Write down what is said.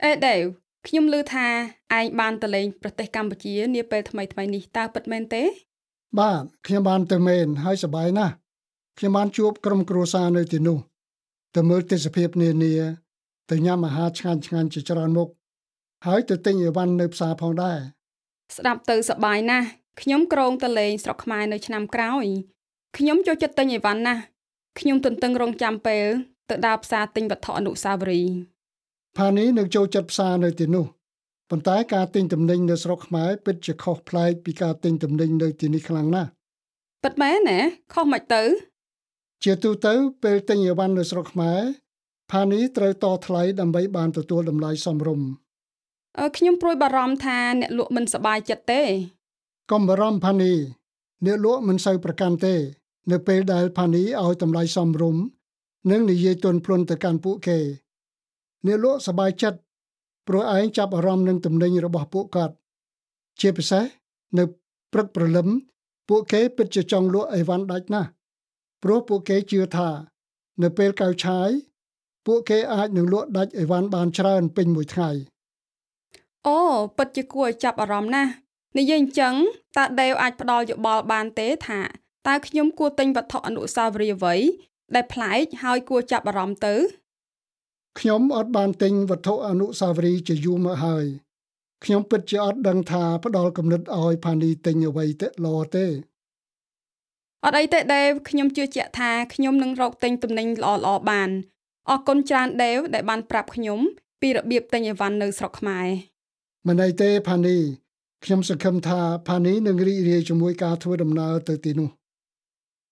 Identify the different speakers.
Speaker 1: អេដេវខ្ញុំឮថាឯងបានទៅលេងប្រទេសកម្ពុជានាពេលថ្មីៗនេះតើពិតមែនទេ
Speaker 2: បាទខ្ញុំបានទៅមែនហើយសប្បាយណាស់ខ្ញុំបានជួបក្រុមគ្រួសារនៅទីនោះទៅមើលទេសភាពនានាទៅញ៉ាំអាហារឆ្ងាញ់ៗជាច្រើនមុខហើយទៅទិញអីវ៉ាន់នៅផ្សារផងដែរ
Speaker 1: ស្ដាប់ទៅសប្បាយណាស់ខ្ញុំគ្រោងទៅលេងស្រុកខ្មែរនៅឆ្នាំក្រោយខ្ញុំចូលចិត្តទិញអីវ៉ាន់ណាស់ខ្ញុំទន្ទឹងរង់ចាំពេលទៅដើរផ្សារទិញវត្ថុអនុស្សាវរីយ៍
Speaker 2: ផានីនឹងចូលចិត្តផ្សារនៅទីនោះប៉ុន្តែការទិញទំនិញនៅស្រុកខ្មែរពិតជាខុសប្លែកពីការទិញទំនិញនៅទីនេះខ្លាំងណាស់
Speaker 1: ពិតមែនណាខុសមិនទៅ
Speaker 2: ជាទូទៅពេលទិញអីវ៉ាន់នៅស្រុកខ្មែរផានីត្រូវតថ្លៃដើម្បីបានទទួលតម្លៃសមរម្យ
Speaker 1: ខ្ញុំព្រួយបារម្ភថាអ្នកលក់មិនសប្បាយចិត្តទេ
Speaker 2: កុំបារម្ភផានីអ្នកលក់មិនសូវប្រកាន់ទេ នៅពេលដែលផានីឲ្យតម្លៃសមរម្យនិងនិយាយទន់ភ្លន់ទៅកាន់ពួកគេអ្នកលក់សប្បាយចិត្តព្រោះឯងចាប់អារម្មណ៍នឹងទំនិញរបស់ពួកគាត់ជាពិសេសនៅព្រឹកព្រលឹមពួកគេពិតជាចង់លក់អីវ៉ាន់ដាច់ណាស់ព្រោះពួកគេជឿថានៅពេលកៅឆាយពួកគេអាចនឹងលក់ដាច់អីវ៉ាន់បានច្រើនពេញមួយថ្ងៃ
Speaker 1: អូពិតជាគួរឲ្យចាប់អារម្មណ៍ណាស់និយាយអញ្ចឹងតើដេវអាចផ្ដល់យោបល់បានទេថាតើខ្ញុំគួរទិញវត្ថុអនុស្សាវរីយ៍អ្វីដែលប្លែកហើយគួរចាប់អារម្មណ៍ទៅ
Speaker 2: ខ្ញុំអត់បានទិញវត្ថុអនុស្សាវរីយ៍ជាយូរមកហើយខ្ញុំពិតជាអត់ដឹងថាផ្ដល់គំនិតឲ្យផានីទិញអ្វីទៅល្អទេ
Speaker 1: អត់អីទេដេវខ្ញុំជឿជាក់ថាខ្ញុំនឹងរកទិញទំនិញល្អៗបានអរគុណច្រើនដេវដែលបានប្រាប់ខ្ញុំពីរបៀបទិញអីវ៉ាន់នៅស្រុកខ្មែរ
Speaker 2: មិនអីទេផានីខ្ញុំសង្ឃឹមថាផានីនឹងរីករាយជាមួយការធ្វើដំណើរទៅទីនោះ។